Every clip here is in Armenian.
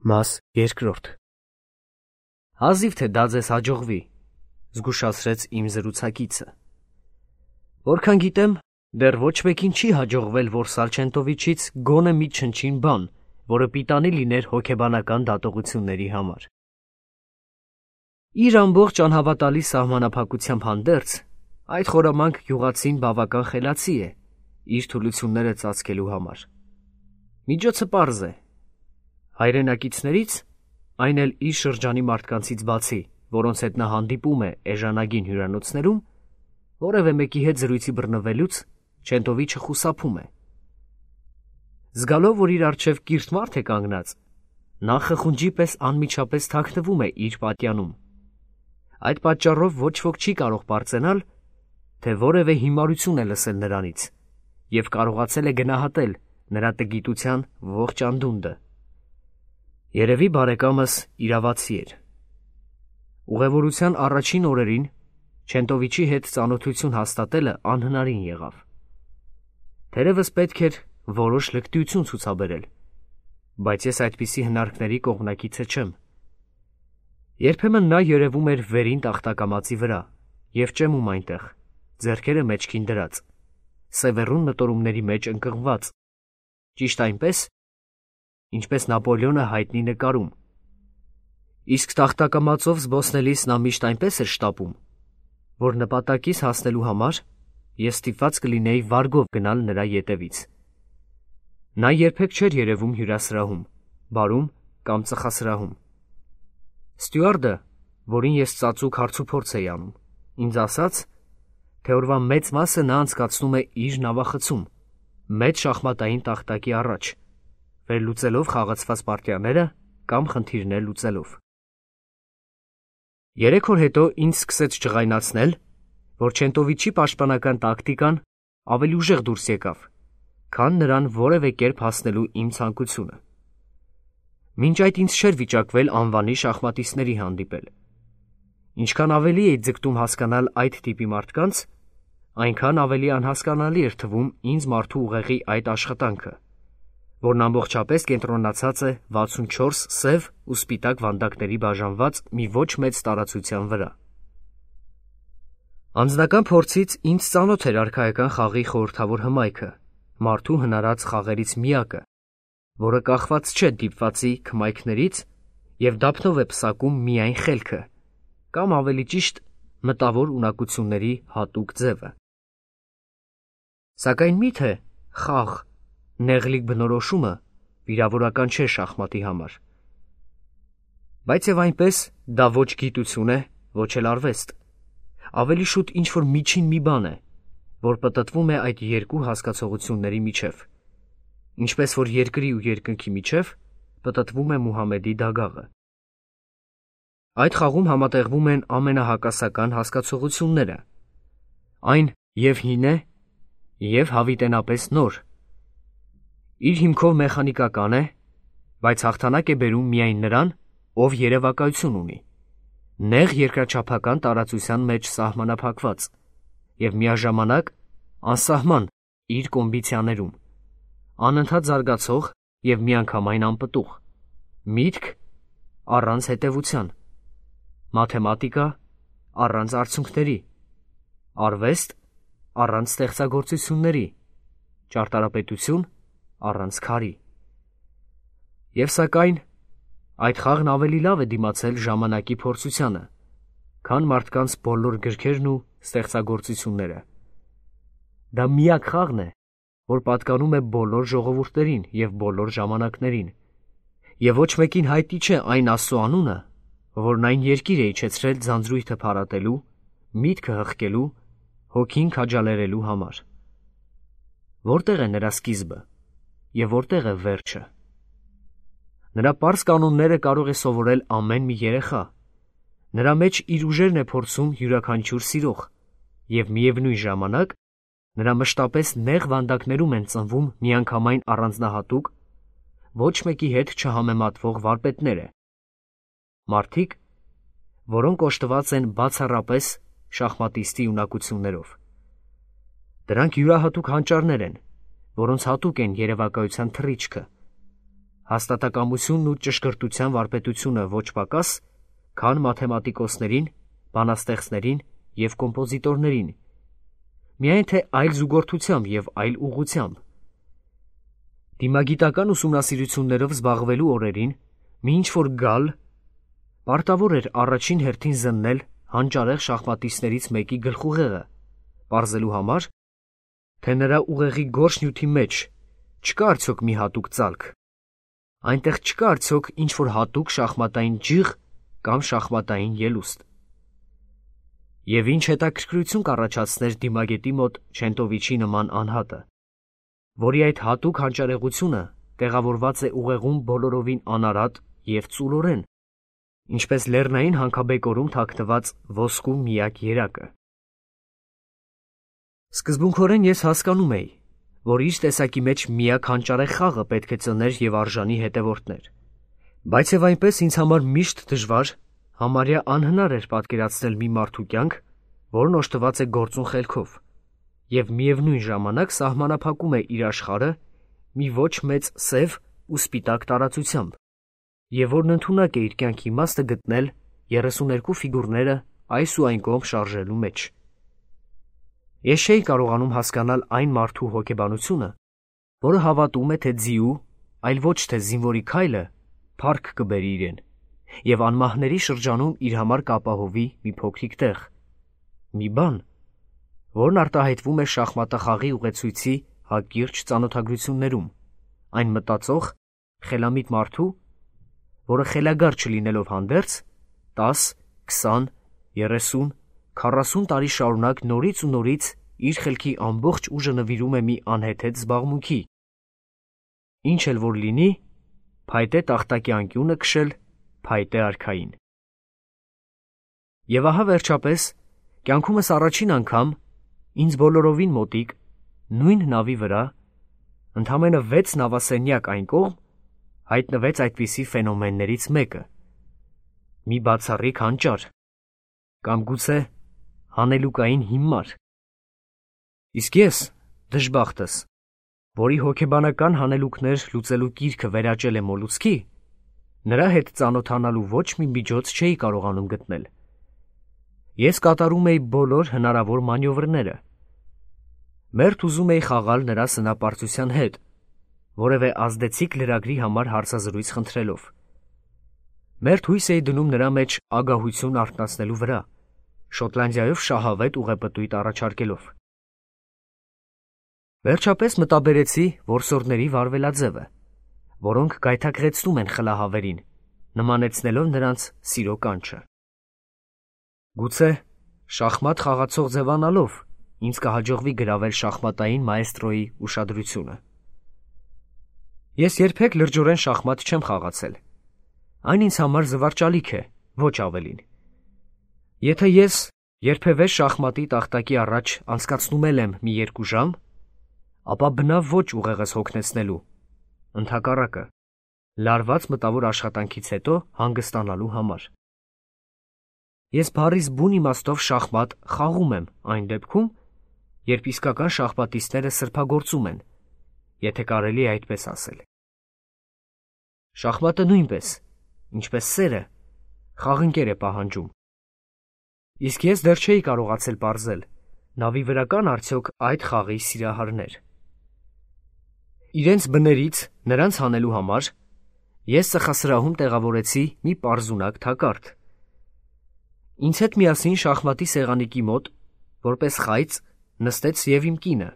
Մաս երկրորդ Հազիվ թե դա ձեզ հաջողվի, զգուշացրեց իմ զրուցակիցը։ Որքան գիտեմ, դեռ ոչ մեկին չի հաջողվել, որ Սալչենտովիչից գոնե մի չնչին բան, որը պիտանի լիներ հոգեբանական դատողությունների համար։ Իր ամբողջ անհավատալի սահմանափակությամբ հանդերձ, այդ խորամանկ գյուղացին բավական խելացի է իր թուլությունները ծածկելու համար։ Միջոցը պարզ է։ Հայրենակիցներից, այն էլ իր շրջանի մարդկանցից բացի, որոնց հետ նա հանդիպում է էժանագին հյուրանոցներում, որևէ մեկի հետ զրույցի բռնվելուց Չենտովիչը խուսափում է։ Զգալով, որ իր առջև կիրթ մարդ է կանգնած, նա խխունջի պես անմիջապես թաքնվում է իր պատյանում։ Այդ պատճառով ոչ ոք չի կարող պարծենալ, թե որևէ հիմարություն է լսել նրանից և կարողացել է գնահատել նրա տգիտության ողջ անդունդը։ Երևի բարեկամս իրավացի էր։ Ուղևորության առաջին օրերին Չենտովիչի հետ ծանոթություն հաստատելը անհնարին եղավ։ Թերևս պետք էր որոշ լկտիություն ցուցաբերել, բայց ես այդպիսի հնարքների կողմնակիցը չեմ։ Երբեմն նա երևում էր վերին տախտակամածի վրա և ճեմում այնտեղ, ձեռքերը մեջքին դրած, սևեռուն մտորումների մեջ ընկղմված, ճիշտ այնպես, ինչպես Նապոլեոնը հայտնի նկարում։ Իսկ տախտակամածով զբոսնելիս նա միշտ այնպես էր շտապում, որ նպատակիս հասնելու համար ես ստիպված կլինեի վարգով գնալ նրա ետևից։ Նա երբեք չէր երևում հյուրասրահում, բարում կամ ծխասրահում։ Ստյուարդը, որին ես ծածուկ հարցուփորձ էի անում, ինձ ասաց, թե օրվա մեծ մասը նա անցկացնում է իր նավախցում, մեծ շախմատային տախտակի առաջ, վերլուծելով խաղացված պարտիաները կամ խնդիրներ լուծելով։ 3 օր հետո ինձ սկսեց ջղայնացնել, որ Չենտովիչի պաշտպանական տակտիկան ավելի ուժեղ դուրս եկավ, քան նրան որևէ կերպ հասնելու իմ ցանկությունը։ Մինչ այդ ինձ չէր վիճակվել անվանի շախմատիստների հանդիպել։ Ինչքան ավելի էի ձգտում հասկանալ այդ տիպի մարդկանց, այնքան ավելի անհասկանալի էր թվում ինձ մարդու ուղեղի այդ աշխատանքը, որն ամբողջապես կենտրոնացած է 64 սև ու սպիտակ վանդակների բաժանված մի ոչ մեծ տարածության վրա։ Անձնական փորձից ինձ ծանոթ էր արքայական խաղի խորհրդավոր հմայքը, մարդու հնարած խաղերից միակը, որը կախված չէ դիպվածի քմայքներից և դափնով է պսակում միայն խելքը, կամ ավելի ճիշտ մտավոր ունակությունների հատուկ ձևը։ Սակայն միթե խաղ, նեղլիկ բնորոշումը վիրավորական չէ շախմատի համար։ Բայց և այնպես դա ոչ գիտություն է, ոչ էլ արվեստ, ավելի շուտ ինչ-որ միջին մի բան է, որ պտտվում է այդ երկու հասկացողությունների միջև, ինչպես որ երկրի ու երկնքի միջև պտտվում է Մուհամեդի դագաղը։ Այդ խաղում համատեղվում են ամենահակասական հասկացությունները, այն և հին է, և հավիտենապես նոր, իր հիմքով մեխանիկական է, բայց հաղթանակ է բերում միայն նրան, ով երևակայություն ունի, նեղ երկրաչափական տարածության մեջ սահմանափակված և միաժամանակ անսահման իր կոմբիցիաներում, անընդհատ զարգացող և միանգամայն անպտուղ, միտք առանց հետևության, մաթեմատիկա առանց արդյունքների, արվեստ առանց ստեղծագործությունների, ճարտարապետություն առանց քարի։ Եվ սակայն այդ խաղն ավելի լավ է դիմացել ժամանակի փորձությանը, քան մարդկանց բոլոր գրքերն ու ստեղծագործությունները։ Դա միակ խաղն է, որ պատկանում է բոլոր ժողովուրդներին և բոլոր ժամանակներին, և ոչ մեկին հայտնի չէ այն Աստծու անունը, որն այն երկիր է իջեցրել ձանձրույթը փարատելու, միտքը հղկելու, հոգին քաջալերելու համար։ Որտե՞ղ է նրա սկիզբը և որտե՞ղ է վերջը։ Նրա պարզ կանոնները կարող է սովորել ամեն մի երեխա, նրա մեջ իր ուժերն է փորձում յուրաքանչյուր սիրող, և միևնույն ժամանակ նրա մշտապես նեղ վանդակներում են ծնվում միանգամայն առանձնահատուկ, ոչ մեկի հետ չհամեմատվող վարպետները, մարդիկ, որոնք օժտված են բացառապես շախմատիստի ունակություններով։ Դրանք յուրահատուկ հանճարներ են, որոնց հատուկ են երևակայության թռիչքը, հաստատակամությունն ու ճշգրտության վարպետությունը ոչ պակաս, քան մաթեմատիկոսներին, բանաստեղծներին և կոմպոզիտորներին, միայն թե այլ զուգորդությամբ և այլ ուղղությամբ։ Դիմագիտական ուսումնասիրություններով զբաղվելու օրերին մի ինչ-որ գալ պարտավոր էր առաջին հերթին զննել հանճարեղ շախմատիստներից մեկի գլխուղեղը, պարզելու համար, թե նրա ուղեղի գորշ նյութի մեջ չկա արդյոք մի հատուկ ծալք, այնտեղ չկա արդյոք ինչ-որ հատուկ շախմատային ջիղ կամ շախմատային ելուստ։ Եվ ինչ հետաքրքրություն կառաջացներ դիմագետի մոտ Չենտովիչի նման անհատը, որի այդ հատուկ հանճարեղությունը տեղավորված է ուղեղում բոլորովին անարատ և ծուլորեն, ինչպես լեռնային հանքաբեկորում թաքնված ոսկու միակ երակը։ Սկզբունքորեն ես հասկանում էի, որ իր տեսակի մեջ միակ հանճարեղ խաղը պետք է ծներ և արժանի հետևորդներ, բայց և այնպես ինձ համար միշտ դժվար, համարյա անհնար էր պատկերացնել մի մարդու կյանք, որն օժտված է գործուն խելքով և միևնույն ժամանակ սահմանափակում է իր աշխարհը մի ոչ մեծ սև ու սպիտակ տարածությամբ, և որն ընդունակ է իր կյանքի իմաստը գտնել 32 ֆիգուրները այս ու այն կողմ շարժելու մեջ։ Ես չէի կարողանում հասկանալ այն մարդու հոգեբանությունը, որը հավատում է, թե ձիու, այլ ոչ թե զինվորի քայլը փառք կբերի իրեն, և անմահների շրջանում իր համար կապահովի մի փոքրիկ տեղ, մի բան, որն արտահայտվում է շախմատախաղի ուղեցույցի հակիրճ ծանոթագրություններում, այն մտածող, խելամիտ մարդու, որը խելագար չլինելով հանդերձ, 10, 20, 30, 40 տարի շարունակ նորից ու նորից իր խելքի ամբողջ ուժը նվիրում է մի անհեթեթ զբաղմունքի, ինչ էլ որ լինի, փայտե տախտակի անկյունը քշել փայտե արքային։ Եվ ահա վերջապես, կյանքումս առաջին անգամ, ինձ բոլորովին մոտիկ, նույն նավի վրա, ընդամենը 6 նավասենյակ այն կողմ, հայտնվեց այդպիսի ֆենոմեններից մեկը, մի բացառիկ հանճար, կամ գուցե հանելուկային հիմար։ Իսկ ես, դժբախտս, որի հոգեբանական հանելուկներ լուծելու կիրքը վերաճել է մոլուցքի, նրա հետ ծանոթանալու ոչ մի միջոց չէի կարողանում գտնել։ Ես կատարում էի բոլոր հնարավոր մանյովրները։ Մերթ ուզում էի խաղալ նրա սնապարծության հետ, որևէ ազդեցիկ լրագրի համար հարցազրույց խնդրելով։ Մերթ հույս էի դնում նրա մեջ ագահություն արթնացնելու վրա, Շոտլանդիայով շահավետ ուղեպտույտ առաջարկելով։ Վերջապես մտաբերեցի որսորդների վարվելաձևը, որոնք գայթակղեցնում են խլահավերին, նմանեցնելով նրանց սիրո կանչը։ Գուցե շախմատ խաղացող ձևանալով ինձ կհաջողվի գրավել շախմատային մաեստրոյի ուշադրությունը։ Ես երբեք լրջորեն շախմատ չեմ խաղացել։ Այն ինձ համար զվարճալիք է, ոչ ավելին։ Եթե ես երբևէ շախմատի տախտակի առաջ անցկացնում եմ մի 2 ժամ, ապա բնավ ոչ ուղեղս հոգնեցնելու, ընդհակառակը, լարված մտավոր աշխատանքից հետո հանգստանալու համար։ Ես բառիս բուն իմաստով շախմատ խաղում եմ այն դեպքում, երբ իսկական շախմատիստները սրբագործում են, եթե կարելի է այդպես ասել։ Շախմատը նույնպես, ինչպես սերը, խաղընկեր է պահանջում։ Իսկ ես դեռ չէի կարողացել պարզել, նավի վրա կան արդյոք այդ խաղի սիրահարներ։ Իրենց բներից նրանց հանելու համար ես ծխասրահում տեղավորեցի մի պարզունակ թակարդ։ Ինձ հետ միասին շախմատի սեղանիկի մոտ, որպես խայծ, նստեց և իմ կինը,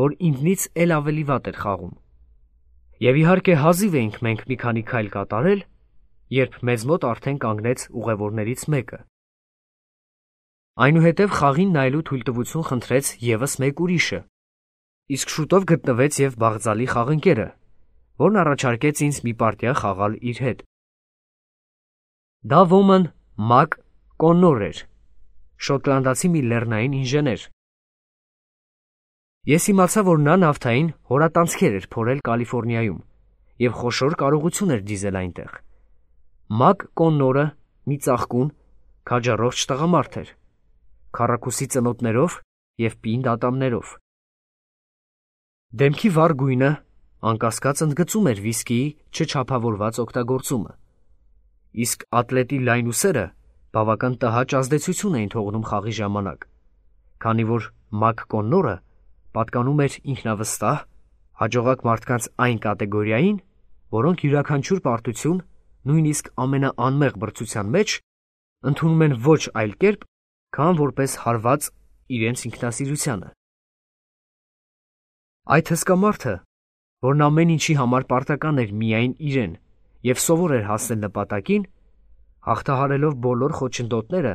որ ինձնից էլ ավելի վատ էր խաղում։ Եվ իհարկե հազիվ էինք մենք մի քանի քայլ կատարել, երբ մեզ մոտ արդեն կանգնեց ուղևորներից մեկը։ Այնուհետև խաղին նայելու թույլտվություն խնդրեց ևս մեկ ուրիշը, իսկ շուտով գտնվեց և բաղձալի խաղընկերը, որն առաջարկեց ինձ մի պարտիա խաղալ իր հետ։ Դա ոմն Մակ Կոննոր էր, շոտլանդացի մի լեռնային ինժեներ։ Ես իմացա, որ նա նավթային հորատանցքեր էր փորել Կալիֆոռնիայում և խոշոր կարողություն էր դիզել այնտեղ։ Մակ Կոննորը մի ծաղկուն, քաջառողջ տղամարդ էր, քառակուսի ծնոտներով և պինդ ատամներով։ Դեմքի վառ գույնը, անկասկած ընդգծում էր վիսկիի չչափավորված օգտագործումը, իսկ ատլետի լայն ուսերը բավական տհաճ ազդեցություն էին թողնում խաղի ժամանակ, քանի որ Մակ Կոննորը պատկանում էր ինքնավստահ, հաջողակ մարդկանց այն կատեգորիային, որոնք յուրաքանչյուր պարտություն, նույնիսկ ամենաանմեղ բրդության մեջ, ընդունում են ոչ այլ կերպ, քան որպես հարված իրենց ինքնասիրությանը։ Այդ հսկա մարդը, որն ամեն ինչի համար պարտական էր միայն իրեն և սովոր էր հասնել նպատակին, հաղթահարելով բոլոր խոչընդոտները,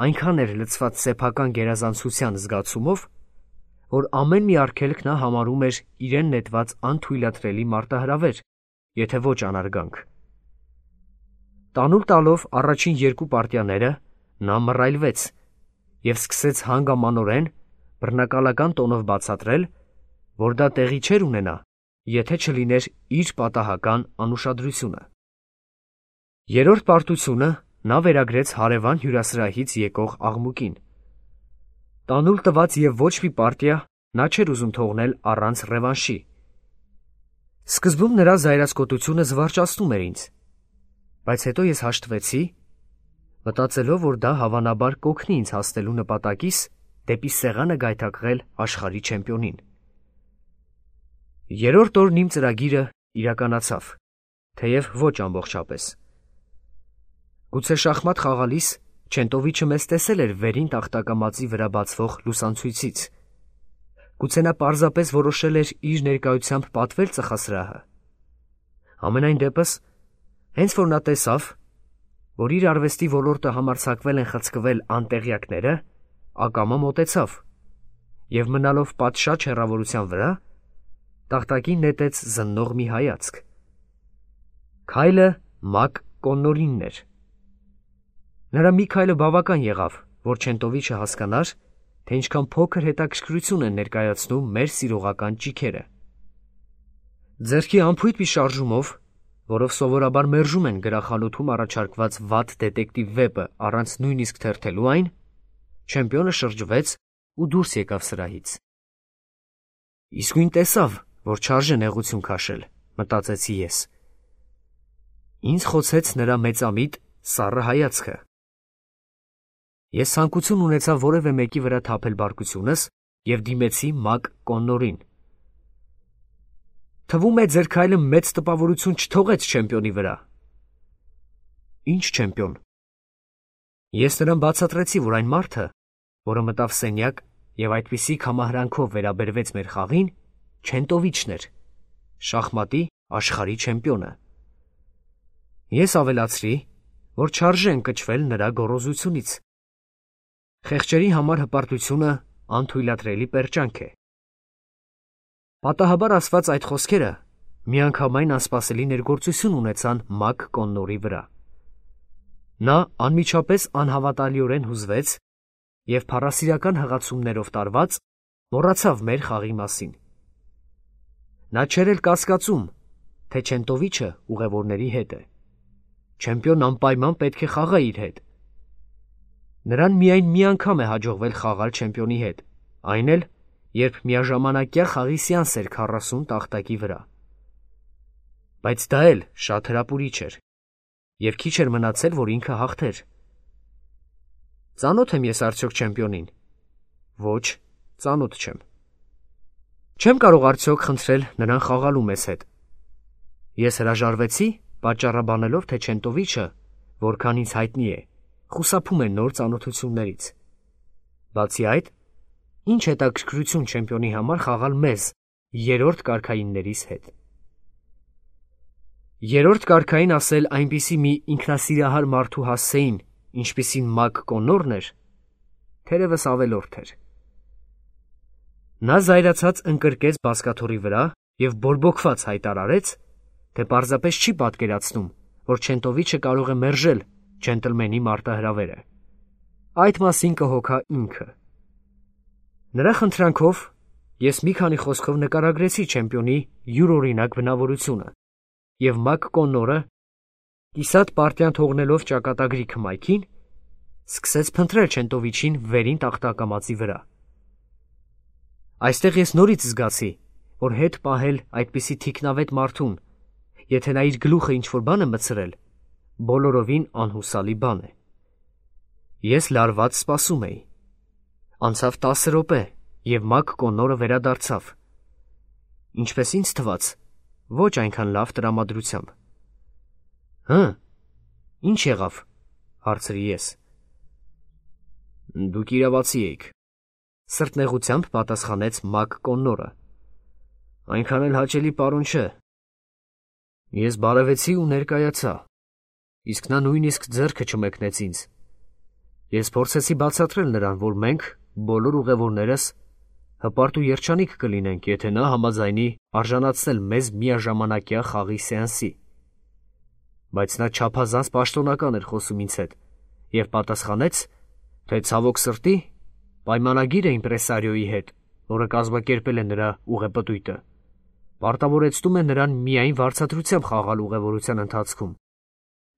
այնքան էր լցված սեփական գերազանցության զգացումով, որ ամեն մի արգելք նա համարում էր իրեն նետված անթույլատրելի մարտահրավեր, եթե ոչ անարգանք։ Տանուլ տալով առաջին երկու պարտիաները, նա մռայլվեց և սկսեց հանգամանորեն բռնակալական տոնով բացատրել, որ դա տեղի չէր ունենա, եթե չլիներ իր պատահական անուշադրությունը։ Երրորդ պարտությունը նա վերագրեց հարևան հյուրասրահից եկող աղմուկին։ Տանուլ տված և ոչ մի պարտիա նա չէր ուզում թողնել առանց ռևանշի։ Սկզբում նրա զայրացկոտությունը զվարճացնում էր ինձ, բայց հետո ես հաշտվեցի, մտածելով, որ դա հավանաբար կօգնի ինձ հասնելու նպատակիս դեպի սեղանը գայթակղել աշխարհի չեմպիոնին։ Երրորդ օրն իմ ծրագիրը իրականացավ, թեև ոչ ամբողջապես։ Գուցե շախմատ խաղալիս Չենտովիչը մեզ տեսել էր վերին տախտակամածի վրա բացվող լուսանցույցից։ Գուցե նա պարզապես որոշել էր իր ներկայությամբ պատվել ծխասրահը։ Համենայն դեպս, հենց որ նա տեսավ, որ իր արվեստի ոլորտը համարձակվել են խցկվել անտեղյակները, ակամա մոտեցավ և մնալով պատշաճ հեռավորության վրա, տախտակին նետեց զննող մի հայացք։ Քայլը Մակ Կոննորինն էր։ Նրա մի քայլը բավական եղավ, որ Չենտովիչը հասկանար, թե ինչքան փոքր հետաքրքրություն են ներկայացնում մեր սիրողական ճիգերը։ Ձեռքի անփույթ մի շարժումով, որով սովորաբար մերժում են գրախանութում առաջարկված վատ դետեկտիվ վեպը առանց նույնիսկ թերթելու այն, չեմպիոնը շրջվեց ու դուրս եկավ սրահից։ Իսկույն տեսավ, որ չարժե նեղություն քաշել, մտածեցի ես։ Ինձ խոցեց նրա մեծամիտ սառը հայացքը։ Ես ցանկություն ունեցա որևէ մեկի վրա թափել բարկությունս և դիմեցի Մակ Կոննորին։ Թվում է, ձեր քայլը մեծ տպավորություն չթողեց չեմպիոնի վրա։ Ինչ չեմպիոն։ Ես նրան բացատրեցի, որ այն մարդը, որը մտավ սենյակ և այդպիսի կամահրանքով վերաբերվեց մեր խաղին, Չենտովիչն էր, շախմատի աշխարհի չեմպիոնը։ Ես ավելացրի, որ չարժե ընկճվել նրա գոռոզությունից։ Խեղճերի համար հպարտությունը անթույլատրելի պերճանք է։ Պատահաբար ասված այդ խոսքերը միանգամայն անսպասելի ներգործություն ունեցան Մակ Կոննորի վրա։ Նա անմիջապես անհավատալիորեն հուզվեց և փառասիրական հղացումներով տարված մոռացավ մեր խաղի մասին։ Նա չէր էլ կասկածում, թե Չենտովիչը ուղևորների հետ է։ Չեմպիոնն անպայման պետք է խաղա իր հետ։ Նրան միայն մի անգամ է հաջողվել խաղալ չեմպիոնի հետ, այն էլ, երբ միաժամանակյա խաղի սեանս էր 40 տախտակի վրա։ Բայց դա էլ շատ հրապուրիչ էր, և քիչ էր մնացել, որ ինքը հաղթեր։ Ծանոթ եմ ես արդյոք չեմպիոնին։ Ոչ, ծանոթ չեմ։ Չեմ կարող արդյոք խնդրել նրան խաղալու մեզ հետ։ Ես հրաժարվեցի, պատճառաբանելով, թե Չենտովիչը, որքան ինձ հայտնի է, խուսափում է նոր ծանոթություններից։ Բացի այդ, ինչ հետաքրքրություն չեմպիոնի համար խաղալ մեզ, երրորդ կարգայիններիս հետ։ Երրորդ կարգային ասել այնպիսի մի ինքնասիրահար մարդու հասցեին, ինչպիսին Մակ Կոննորն էր, թերևս ավելորդ էր։ Նա զայրացած ընկրկեց բազկաթոռի վրա և բորբոքված հայտարարեց, թե պարզապես չի պատկերացնում, որ Չենտովիչը կարող է մերժել ջենտլմենի մարտահրավերը։ Այդ մասին կհոգա ինքը։ Նրա խնդրանքով ես մի քանի խոսքով նկարագրեցի չեմպիոնի յուրօրինակ բնավորությունը, և Մակ Կոննորը, կիսատ պարտիան թողնելով ճակատագրի քմայքին, սկսեց փնտրել Չենտովիչին վերին տախտակամածի վրա։ Այստեղ ես նորից զգացի, որ հետ պահել այդպիսի թիկնավետ մարդուն, եթե նա իր գլուխը ինչ-որ բան է մտցրել, բոլորովին անհուսալի բան է։ Ես լարված սպասում էի։ Անցավ 10 րոպե, և Մակ Կոննորը վերադարձավ։ Ինչպես ինձ թվաց, ոչ այնքան լավ տրամադրությամբ։ «Հը, ինչ եղավ», հարցրի ես։ «Դուք իրավացի էիք», սրտնեղությամբ պատասխանեց Մակ Կոննորը։ «Այնքան էլ հաճելի պարոն չէ։ Ես բարևեցի ու ներկայացա, իսկ նա նույնիսկ ձեռքը չմեկնեց ինձ։ Ես փորձեցի բացատրել նրան, որ մենք, բոլոր ուղևորներս, հպարտ ու երջանիկ կլինենք, եթե նա համաձայնի արժանացնել մեզ միաժամանակյա խաղի սեանսի։ Բայց նա չափազանց պաշտոնական էր խոսում ինձ հետ և պատասխանեց, թե ցավոք սրտի պայմանագիր է իմպրեսարիոյի հետ, որը կազմակերպել է նրա ուղեպտույտը, պարտավորեցնում է նրան միայն վարձատրությամբ խաղալ ուղևորության ընթացքում,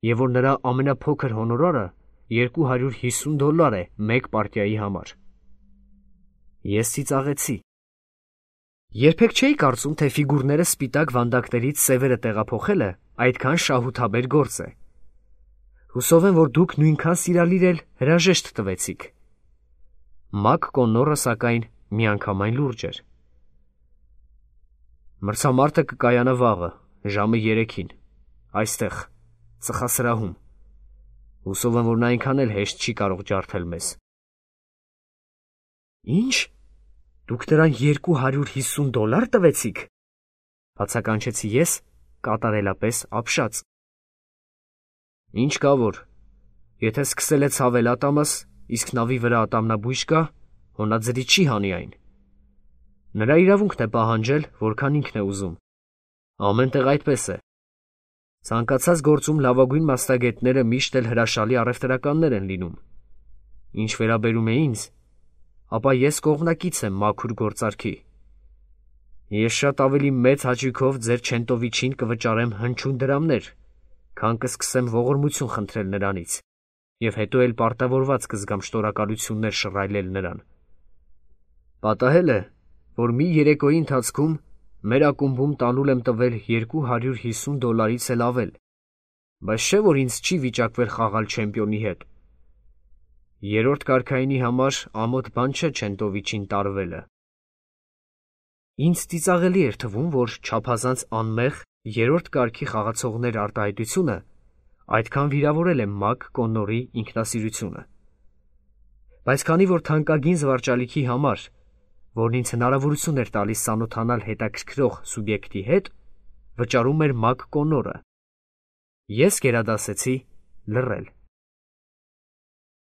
և որ նրա ամենափոքր հոնորարը $250 է մեկ պարտիայի համար։ Ես ծիծաղեցի։ Երբեք չէի կարծում, թե ֆիգուրները սպիտակ վանդակներից սևերը տեղափոխելը այդքան շահութաբեր գործ է։ Հուսով եմ, որ դուք նույնքան սիրալիր էլ հրաժեշտ տվեցիք։ Մակ Կոննորը, սակայն, միանգամայն լուրջ էր։ Մրցամարտը կկայանա վաղը, ժամը 3-ին, այստեղ, ծխասրահում։ Հուսով եմ, որ նա այնքան էլ հեշտ չի կարող ջարդել մեզ։ Ինչ, դուք նրան $250 տվեցիք, բացականչեցի ես, կատարելապես ապշած։ Ինչ կա որ, եթե սկսել է ցավել ատամս, իսկ նավի վրա ատամնաբույժ կա, հոնաձրի չի հանի այն։ Նրա իրավունքն է պահանջել, որքան ինքն է ուզում։ Ամեն տեղ այդպես է։ Ցանկացած գործում լավագույն մասնագետները միշտ էլ հրաշալի առևտրականներ են լինում։ Ինչ վերաբերում է ինձ, ապա ես կողմնակից եմ մաքուր գործարքի։ Ես շատ ավելի մեծ հաճույքով ձեր Չենտովիչին կվճարեմ հնչյուն դրամներ, քան կսկսեմ ողորմություն խնդրել նրանից, և հետո էլ պարտավորված կզգամ շնորհակալություններ շռայլել նրան։ Պատահել է, որ մի երեկոյի ընթացքում մեր ակումբում տանուլ եմ տվել $250-ից էլ ավել, բայց չէ՞ որ ինձ չի վիճակվել խաղալ չեմպիոնի հետ։ Երրորդ կարգայինի համար ամոթ բան չէ Չենտովիչին տարվելը։ Ինձ ծիծաղելի էր թվում, որ չափազանց անմեղ երրորդ կարգի խաղացողներ արտահայտությունը այդքան վիրավորել է Մակ Կոննորի ինքնասիրությունը։ Բայց քանի որ թանկագին զվարճալիքի համար, որն ինձ հնարավորություն էր տալիս ծանոթանալ հետաքրքրող սուբյեկտի հետ, վճարում էր Մակ Կոննորը, ես գերադասեցի լռել։